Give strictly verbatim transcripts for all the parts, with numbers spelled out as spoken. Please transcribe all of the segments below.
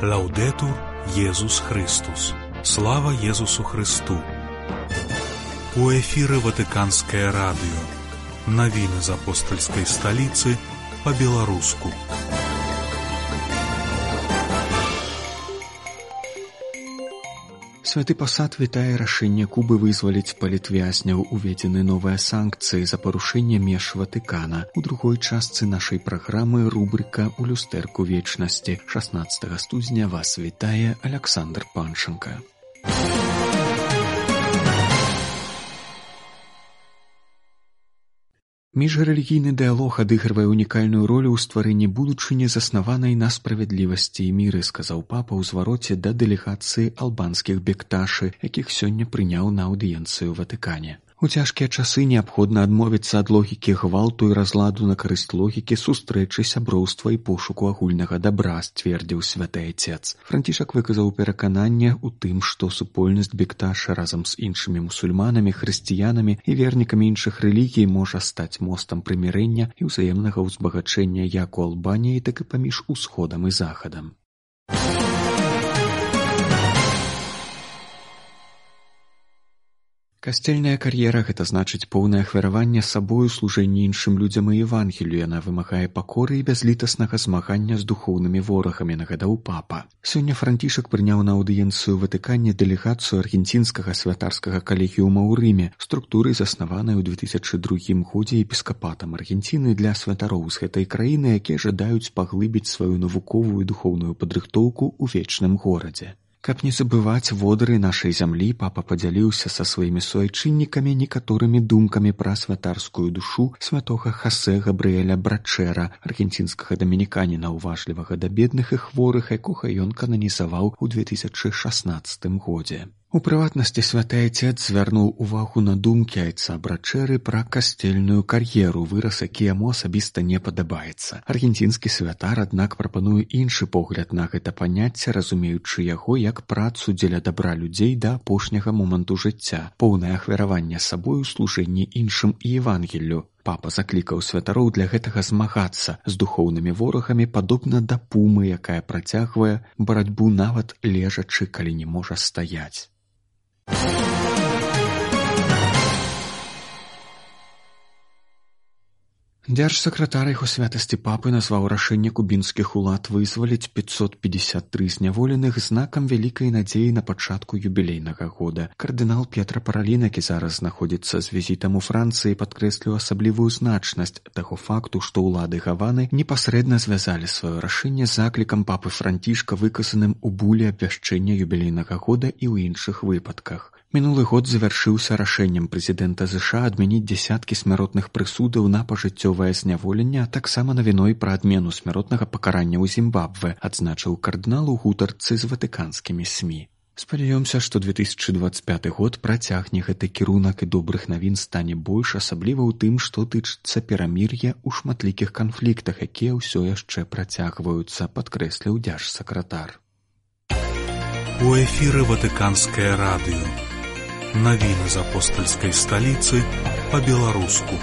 Лаўдэтур Езус Христус. Слава Езусу Христу. У эфіры Ватыканскае радыё. Навіны з апостальскай сталіцы па-беларуску. Святы пасад вітае рашэнне Кубы вызваліць палітвязняў, уведзены новыя санкцыі за парушэнне меж Ватыкана. У другой частцы нашай праграмы рубрыка «У люстэрку вечнасці». шаснаццатага студзеня вас вітае Аляксандр Панченка. Міжрэлігійны дыялог адыгрывае унікальную ролю ў стварэнні будучыні, заснаванай на справядлівасці і міры, сказаў папа ў звароце да дэлегацыі албанскіх бекташы, якіх сёння прыняў на аўдыенцыю ў Ватыкане. У цяжкія часы неабходна адмовіцца ад логікі гвалту і разладу на карысць логікі сустрэчы, сяброўства і пошуку агульнага дабра, сцвердзіў святы айцец. Францішак выказаў перакананне ў тым, што супольнасць бекташа разам з іншымі мусульманамі, хрысціянамі і вернікамі іншых рэлігій можа стаць мостам прымірэння і ўзаемнага ўзбагачэння як у Албаніі, так і паміж усходам і захадам. Касцельная кар'ера – гэта значыць поўнае ахвяраванне сабою, служэнне іншым людзям і Евангелію. Яна вымагае пакоры і бязлітаснага змагання з духоўнымі ворагамі, нагадаў папа. Сёння Францішак прыняў на аўдыенцыю ў Ватыкане дэлегацыю аргенцінскага святарскага калегіума ў Рыме, структуры, заснаванай у две тысячы другім годзе епіскапатам Аргенціны для святароў з гэтай краіны, якія жадаюць паглыбіць сваю навуковую і духоўную падрыхтоўку ў вечным горадзе. Каб не забываць водары нашай зямлі, папа падзяліўся са сваімі суайчыннікамі некаторымі думкамі пра святарскую душу святога Хосе Габрыэля Брачэра, аргенцінскага дамініканіна, уважлівага да бедных і хворых, якога ён кананізаваў у две тысячы шаснаццатым годзе. У прыватнасці святы айцец звярнуў увагу на думкі айца Брачэры пра касцельную кар'еру, выраз, які яму асабіста не падабаецца. Аргенцінскі святар, аднак, прапануе іншы погляд на гэта паняцце, разумеючы яго як працу дзеля дабра людзей да апошняга моманту жыцця, поўнае ахвяраванне сабою, служэнне іншым і Евангеллю. Папа заклікаў святароў для гэтага змагацца з духоўнымі ворагамі, падобна да пумы, якая працягвае барацьбу нават лежачы, калі не можа стаяць. Дзяржсакратар яго святасці папы назваў рашэнне кубінскіх улад вызваліць пятьсот пятьдесят три зняволеных знакам вялікай надзеі на пачатку юбілейнага года. Кардынал П'етра Паралін, які зараз знаходзіцца з візітам у Францыі, падкрэсліў асаблівую значнасць таго факту, што ўлады Гаваны непасрэдна звязалі сваё рашэнне з заклікам папы Францішка, выказаным у буле абвяшчэння юбілейнага года і ў іншых выпадках. Мінулы год завяршыўся рашэннем прэзідэнта ЗША адмяніць дзясяткі смяротных прысудаў на пажыццёвае зняволенне, а таксама навіной пра адмену смяротнага пакарання ў Зімбабве, адзначыў кардынал у гутарцы з ватыканскімі СМІ. Спадзяёмся, што две тысячы дваццаць пяты год працягне гэты кірунак і добрых навін стане больш, асабліва ў тым, што тычыцца перамір'я ў шматлікіх канфліктах, якія ўсё яшчэ працягваюцца, падкрэсліў дзяржсакратар. У эфіры Ватыканскае радыё. Навіны з апостальскай сталіцы па-беларуску.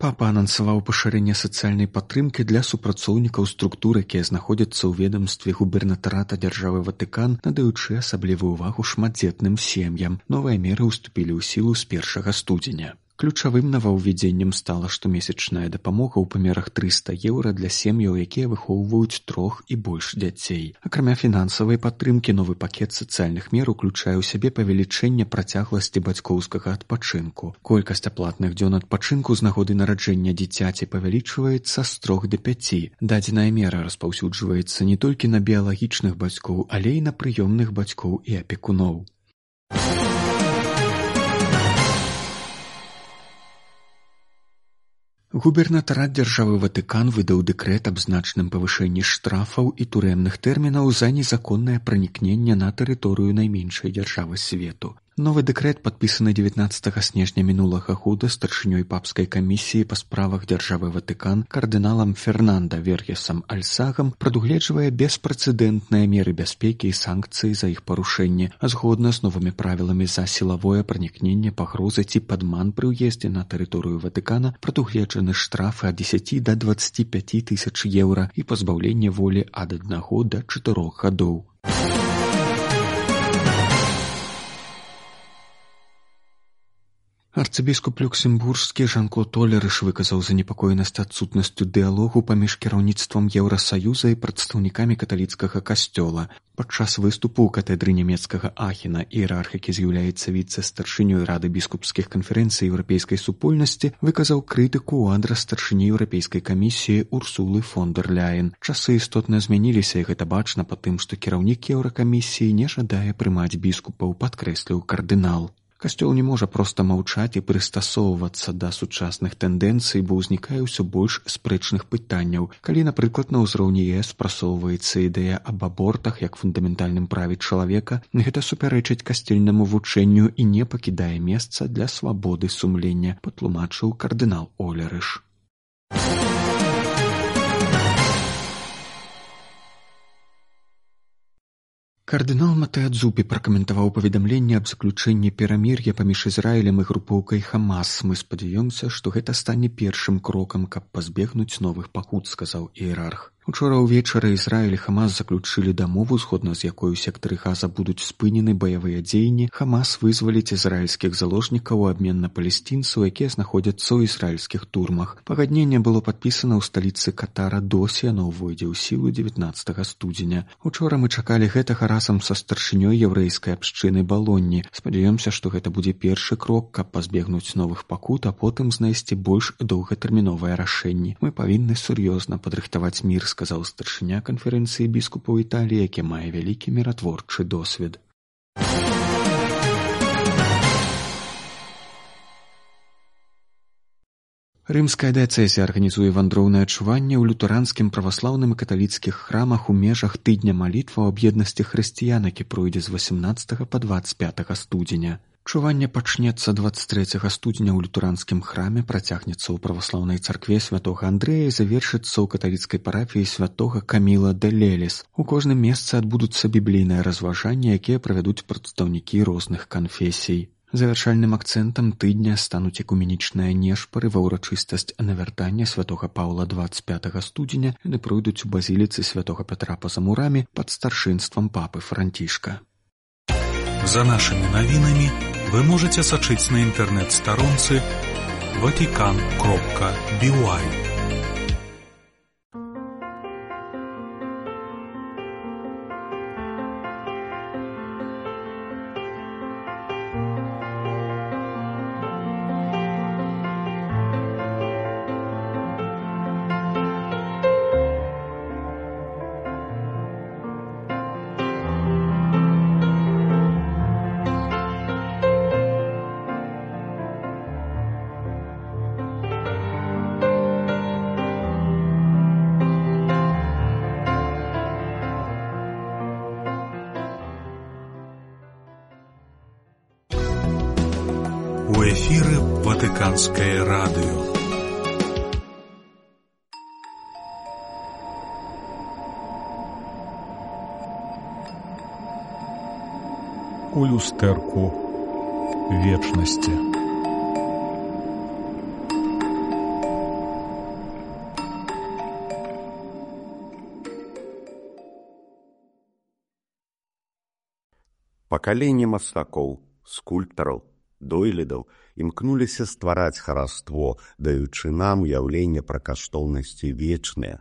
Папа анансаваў пашырэнне сацыяльнай падтрымкі для супрацоўнікаў структур, якія знаходзяцца ў ведамстве губернатарата дзяржавы Ватыкан, надаючы асаблівую ўвагу шматдзетным сем'ям. Новыя меры ўступілі ў сілу з першага студзеня. Ключавым новаўвядзеннем стала штомесячная дапамога ў памерах трыста еўра для сем'яў, якія выхоўваюць трох і больш дзяцей. Акрамя фінансавай падтрымкі, новы пакет сацыяльных мер уключае ў сябе павелічэнне працягласці бацькоўскага адпачынку. Колькасць аплатных дзён адпачынку з нагоды нараджэння дзіцяці павялічваецца з трох да пяці. Дадзеная мера распаўсюджваецца не толькі на біялагічных бацькоў, але і на прыёмных бацькоў і апекуноў. Губернатарат дзяржавы Ватыкан выдаў дэкрэт аб значным павышэнні штрафаў і турэмных тэрмінаў за незаконнае пранікненне на тэрыторыю найменшай дзяржавы свету. Новы дэкрэт, падпісаны дзевятнаццатага снежня мінулага года старшынёй папскай камісіі па справах дзяржавы Ватыкан кардыналам Фернанда Верьесам Альсагам, прадугледжвае беспрэцэдэнтныя меры бяспекі і санкцыі за іх парушэнне, а згодна з новымі правіламі за сілавое пранікненне, пагрозы ці падман пры ўездзе на тэрыторыю Ватыкана прадугледжаны штрафы ад дзесяці да дваццаці пяці тысяч еўра і пазбаўленне волі ад аднаго да чатырох гадоў. Арцыбіскуп люксембургскі Жан-Клод Олерыш выказаў занепакоенасць адсутнасцю дыялогу паміж кіраўніцтвам Еўрасаюза і прадстаўнікамі каталіцкага касцёла. Падчас выступу ў катэдры нямецкага Ахена іерарх, які з'яўляецца віцэ-старшынёй Рады біскупскіх канферэнцый еўрапейскай супольнасці, выказаў крытыку ў адрас старшыні еўрапейскай камісіі Урсулы фон дэр Ляйен. Часы істотна змяніліся, і гэта бачна па тым, што кіраўнік еўракамісіі не жадае прымаць біскупаў, падкрэсліў кардынал. Касцёл не можа проста маўчаць і прыстасоўвацца да сучасных тэндэнцый, бо ўзнікае ўсё больш спрэчных пытанняў. Калі, напрыклад, на ўзроўні ЕС прасоўваецца ідэя аб абортах як фундаментальным праве чалавека, гэта супярэчыць касцельнаму вучэнню і не пакідае месца для свабоды сумлення, патлумачыў кардынал Олерыш. Кардынал Матэа Дзупі пракаментаваў паведамленне аб заключэнні перамір'я паміж Ізраілем і групоўкай Хамас. Мы спадзяёмся, што гэта стане першым крокам, каб пазбегнуць новых пакут, сказаў іерарх. Учора ўвечары Ізраіль і Хамас заключылі дамову, згодна з якой у сектары Газа будуць спынены баявыя дзеянні. Хамас вызваліць ізраільскіх заложнікаў у абмен на палестынцаў, якія знаходзяцца ў ізраільскіх турмах. Пагадненне было падпісана ў сталіцы Катара Досі, яно ўвойдзе ў сілу дзевятнаццатага студзеня. Учора мы чакалі гэтага разам са старшынёй яўрэйскай абшчыны Балонні. Спадзяёмся, што гэта будзе першы крок, каб пазбегнуць новых пакут, а потым знайсці больш доўгатэрміновыя рашэнні. Мы павінны сур'ёзна падрыхтаваць мір, сказаў старшыня канферэнцыі біскупаў Італіі, які мае вялікі міратворчы досвед. Рымская дыяцэзія арганізуе вандроўнае адчуванне ў лютэранскім праваслаўным і каталіцкіх храмах у межах тыдня малітваў аб еднасці хрысціян, які пройдзе з васямнаццатага па дваццаць пятага студзеня. Чуванне пачнецца дваццаць трэцяга студзеня ў лютэранскім храме, працягнецца ў праваслаўнай царкве святога Андрэя і завершыцца ў каталіцкай парафіі святога Каміла де Леліс. У кожным месцы адбудуцца біблійныя разважанні, якія правядуць прадстаўнікі розных канфесій. Завяршальным акцэнтам тыдня стануць экуменічныя нешпары ва ўрачыстасць навяртання святога Паўла дваццаць пятага студзеня, яны пройдуць у базіліцы святога Пятра па Замураме пад старшынствам папы Францішка. За нашими новинами вы можете сачыць на інтэрнэт-старонцы ватикан кропка би уай. У эфіры Ватыканскае радыё. У люстэрку вечнасці. Пакаленне мастакоў, скульптараў, дойлідаў імкнуліся ствараць хараство, даючы нам уяўленне пра каштоўнасці вечныя,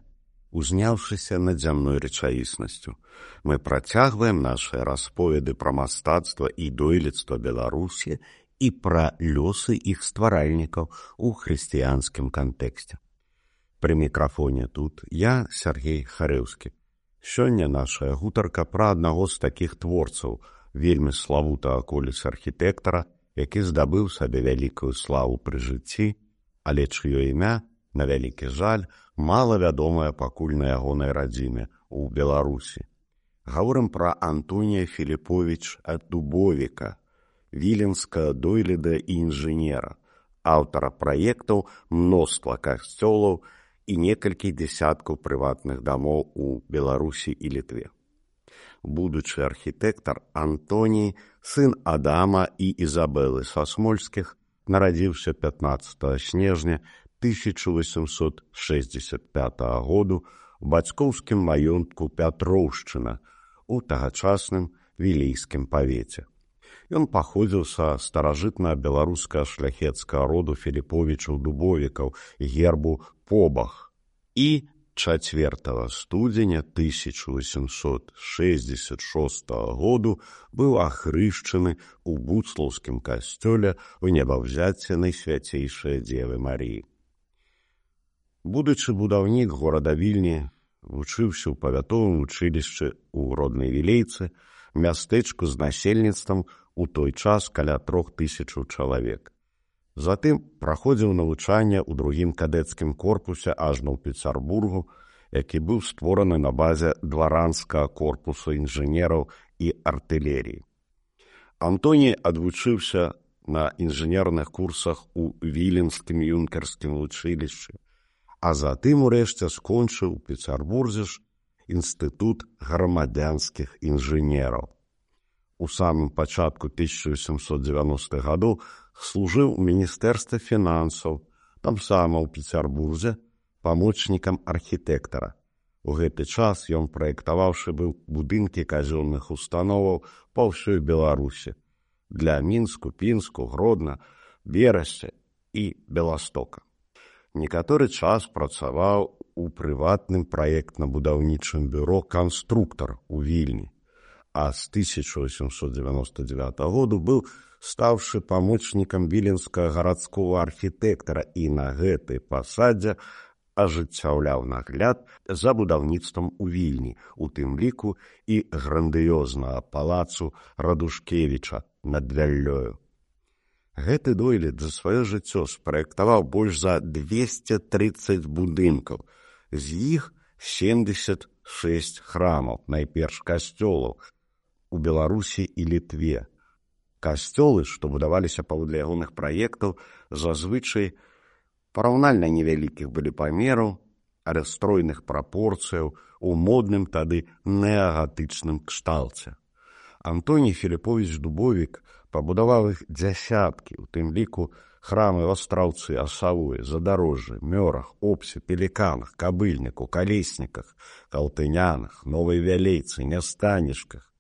узняўшыся над зямной рэчаіснасцю. Мы працягваем нашыя расповеды пра мастацтва і дойлідства Беларусі і пра лёсы іх стваральнікаў у хрысціянскім кантэксце. Пры мікрафоне тут я, Сергей Харэўскі. Сёння нашая гутарка пра аднаго з такіх творцаў, вельмі славутага коліс архітэктара, які здабыў сабе вялікую славу пры жыцці, але чыё імя, на вялікі жаль, мала вядомае пакуль на ягонай радзіме ў Беларусі. Гаворым пра Антонія Філіповіч Дубовіка. віленскага дойліда і інжынера, аўтара праектаў мноства касцёлаў і некалькі дзясяткаў прыватных дамоў у Беларусі і Літве. Будучы архітэктар Антоній, сын Адама і Ізабелы са Смольскіх, нарадзіўся пятнаццатага снежня тысяча восемьсот шэсцьдзесят пятага году у бацькоўскім маёнтку Пятроўшчына у тагачасным вілейскім павеце. Ён паходзіў са старажытна-беларускага шляхецкага роду Філіповічаў-Дубовікаў гербу Побах і чацвёртага студзеня тысяча восемьсот шэсцьдзесят шостага году быў ахрышчаны ў буцлаўскім касцёле ў небаўзяцце Найсвяцейшай Дзевы Маріі. Будучы будаўнік горада Вільні, вучыўся ў павятовым вучылішчы ў роднай Вілейцы, мястэчку з насельніцтвам у той час каля трох тысячаў чалавек. Затым праходзіў навучанне ў другім кадэцкім корпусе ажно ў Пецярбургу, які быў створаны на базе дваранскага корпусу інжынераў і артылеріі. Антоній адвучыўся на інжынерных курсах у Віленскім юнкерскім вучылішчы, а затым урэшце скончыў у Пецярбурзе ж інстытут грамадзянскіх інжынераў. У самым пачатку тысяча восемьсот девяностых гадоў служыў у міністэрстве фінансаў, там сама ў Пецярбурзе, памочнікам архітэктара. У гэты час ён праектаваўшы быў будынкі казённых установаў па ўсёй Беларусі для Мінску, Пінску, Гродна, Берасці і Беластока. Некаторы час працаваў у прыватным праектна-будаўнічым бюро «Канструктар» у Вільні, а з тысяча восемьсот девяносто девятого году быў стаўшы памочнікам віленскага гарадскога архітэктара і на гэтай пасадзе ажыццяўляў нагляд за будаўніцтвам у Вільні, у тым ліку і грандыёзнага палацу Радушкевіча над Вяллёю. Гэты дойлід за сваё жыццё спраектаваў больш за двести тридцать будынкаў, з іх семьдесят шесть храмаў, найперш касцёлаў, у Беларусі і Літве. Касцёлы, што будаваліся паводле ягоных праектаў, зазвычай параўнальна невялікіх былі памераў, але стройных прапорцыяў у модным тады неагатычным кшталце. Антоній Філіповіч Дубовік пабудаваў іх дзясяткі, у тым ліку храмы ў Астраўцы, Асавуі, Задарожжы, Мёрах, Обсе, Пеліканах, Кабыльніку, Калесніках, Калтынянах, Новай Вялейцы, Нястанішках,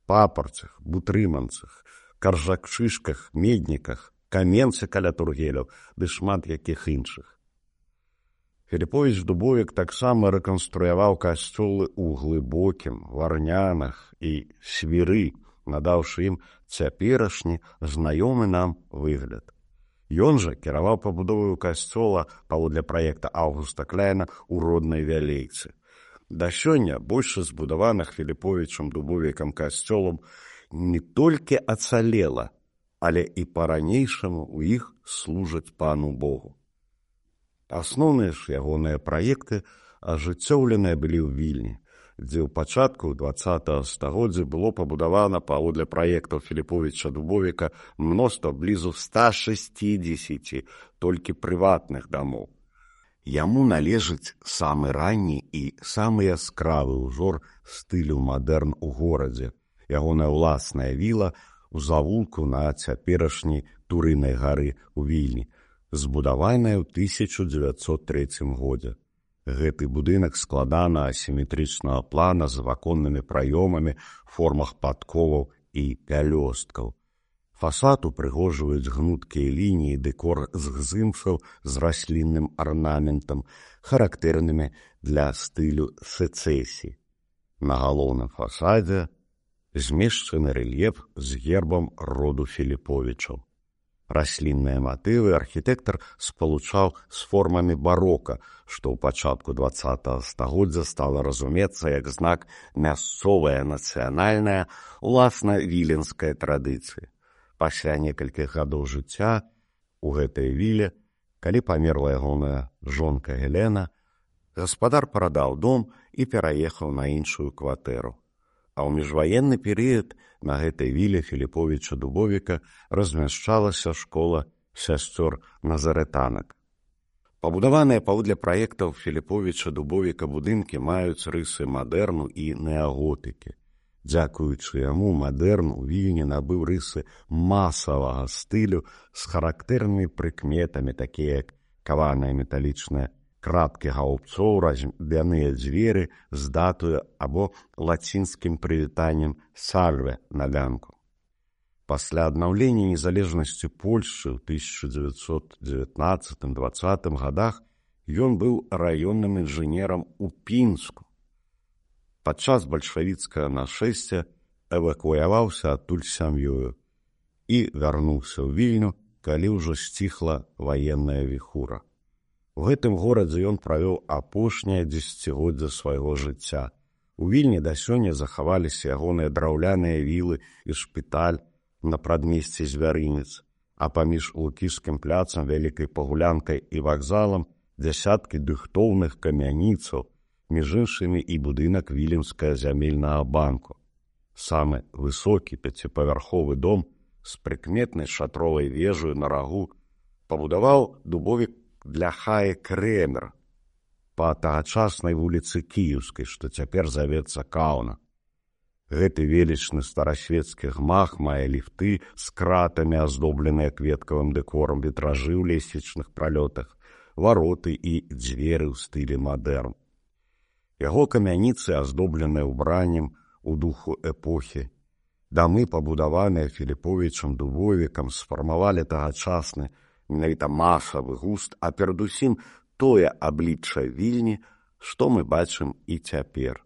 Папарцах, Бутрыманцах, Каржакчышках, Медніках, Каменцы каля Тургеляў ды шмат якіх іншых. Філіповіч Дубовік таксама рэканструяваў касцёлы ў Глыбокім, Варнянах і Свіры, надаўшы ім цяперашні знаёмы нам выгляд. Ён жа кіраваў пабудоваю касцёла паводле праекта Аўгуста Кляйна ў роднай Вялейцы. Да сёння большасць збудаваных Філіповічам Дубовікам касцёлам не толькі ацалела, але і па-ранейшаму ў іх служаць пану Богу. Асноўныя ж ягоныя праекты ажыццёўленыя былі ў Вільні, дзе ў пачатку дваццатага стагоддзя было пабудавана паводле праектаў Філіповіча Дубовіка мноства блізу ста шэсцідзесяці толькі прыватных дамоў. Яму належыць самы ранні і самы яскравы ўзор стылю мадэрн у горадзе, ягоная ўласная віла у завулку на цяперашняй Турынай гары ў Вільні, збудаваная ў тысяча дзевяцьсот трэцім годзе. Гэты будынак складана асіметрычнага плана з ваконнымі праёмамі, формах падковаў і пялёсткаў. Фасад упрыгожваюць гнуткія лініі, дэкор з гзымфаў з раслінным арнаментам, характэрнымі для стылю сэцэсіі. На галоўным фасадзе змешчаны рэльеф з гербам роду Філіповічаў. Раслінныя матывы архітэктар спалучаў з формамі барока, што ў пачатку дваццатага стагоддзя стала разумецца як знак мясцовая нацыянальная, уласна віленская традыцыя. Пасля некалькіх гадоў жыцця у гэтай віле, калі памерла ягоная жонка Гелена, гаспадар прадаў дом і пераехаў на іншую кватэру. А ў міжваенны перыяд на гэтай віле Філіповіча Дубовіка размяшчалася школа сясцёр назарэтанак. Пабудаваныя паводле праектаў Філіповіча Дубовіка будынкі маюць рысы мадэрну і неаготыкі. Дзякуючы яму мадэрн у Вільні набыў рысы масавага стылю з характэрнымі прыкметамі, такія як каваныя металічныя крапкі гаўбцоў, разьбяныя дзверы з датаю або лацінскім прывітаннем «Сальве» на ганку. Пасля аднаўлення незалежнасці Польшчы ў тысяча дзевяцьсот дзевятнаццатым-дваццатым гадах ён быў раённым інжынерам у Пінску. Падчас бальшавіцкага нашэсця эвакуяваўся адтуль сям'ёю і вярнуўся ў Вільню, калі ўжо сціхла ваенная віхура. У гэтым горадзе ён правёў апошняе дзесяцігоддзе свайго жыцця. У Вільні да сёння захаваліся ягоныя драўляныя вілы і шпіталь на прадмесці Звярынец, а паміж Лукішскім пляцам, Вялікай Пагулянкай і вакзалам дзясяткі дыхтоўных камяніцаў, між іншымі і будынак Віленскага зямельнага банку. Самы высокі пяціпавярховы дом з прыкметнай шатровай вежаю на рагу пабудаваў Дубовік для Хаі Крэмер па тагачаснай вуліцы Кіеўскай, што цяпер завецца Каўна. Гэты велічны старасвецкі гмах мае ліфты з кратамі, аздобленыя кветкавым дэкорам, вітражы ў лесвічных пралётах, вароты і дзверы ў стылі мадэрн. Яго камяніцы аздобленыя ўбраннем у духу эпохі. Дамы, пабудаваныя Філіповічам Дубовікам, сфармавалі тагачасны менавіта масавы густ, а перадусім тое аблічча Вільні, што мы бачым і цяпер.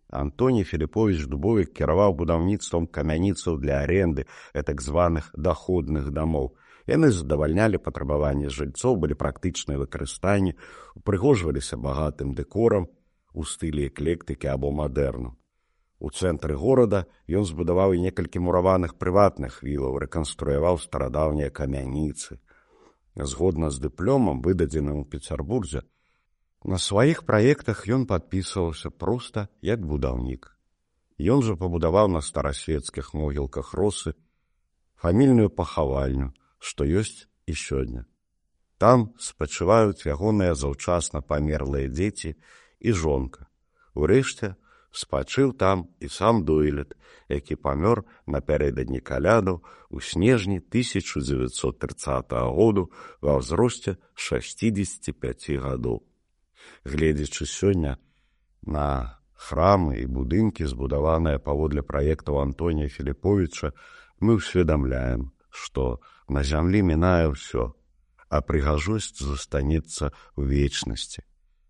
Антоній Філіповіч Дубовік кіраваў будаўніцтвам камяніцаў для аренды, так званых даходных дамоў. Яны задавальнялі патрабаванні жыльцоў, былі практычныя выкарыстанні, упрыгожваліся багатым дэкорам у стылі эклектыкі або мадэрну. У цэнтры горада ён збудаваў і некалькі мураваных прыватных вілаў, рэканструяваў старадаўнія камяніцы. Згодна з дыпломам, выдадзеным у Пецярбурзе, на сваіх праектах ён падпісваўся проста як будаўнік. Ён жа пабудаваў на старасвецкіх могілках Росы фамільную пахавальню, што ёсць і сёння. Там спачываюць ягоныя заўчасна памерлыя дзеці і жонка. Урэшце, спачыў там і сам Дойлід, які памёр напярэдадні калядаў у снежні тысяча дзевяцьсот трыццатага году ва ўзросце шасцідзесяці пяці гадоў. Гледзячы сёння на храмы і будынкі, збудаваныя паводле праектаў Антонія Філіповіча, мы ўсведамляем, што на зямлі мінае ўсё, а прыгажосць застанецца ў вечнасці.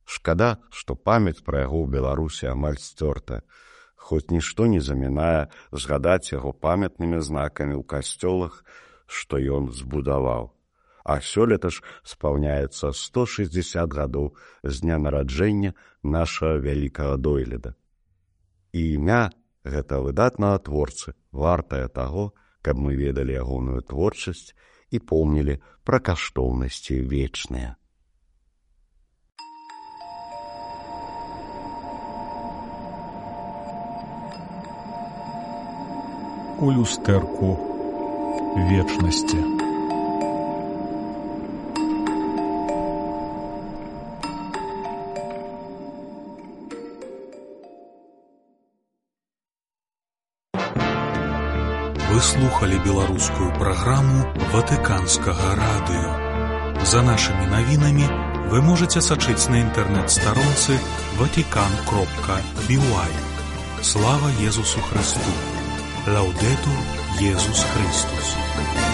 Шкада, што памяць пра яго ў Беларусі амаль сцёрта, хоць нішто не замінае згадаць яго памятнымі знакамі ў касцёлах, што ён збудаваў. А сёлета ж спаўняецца сто шэсцьдзесят гадоў з дня нараджэння нашага вялікага Дойліда. І імя гэтага выдатнага творцы вартае таго, каб мы ведалі ягоную творчасць і помнілі пра каштоўнасці вечныя. У люстэрку вечнасці. Вы слухали беларускую праграму Ватыканскага радыё. За нашымі навінамі вы можаце сачыць на інтэрнэт-старонцы ватикан кропка би уай. Слава Езусу Христу! Лаудетур Иисус Христос.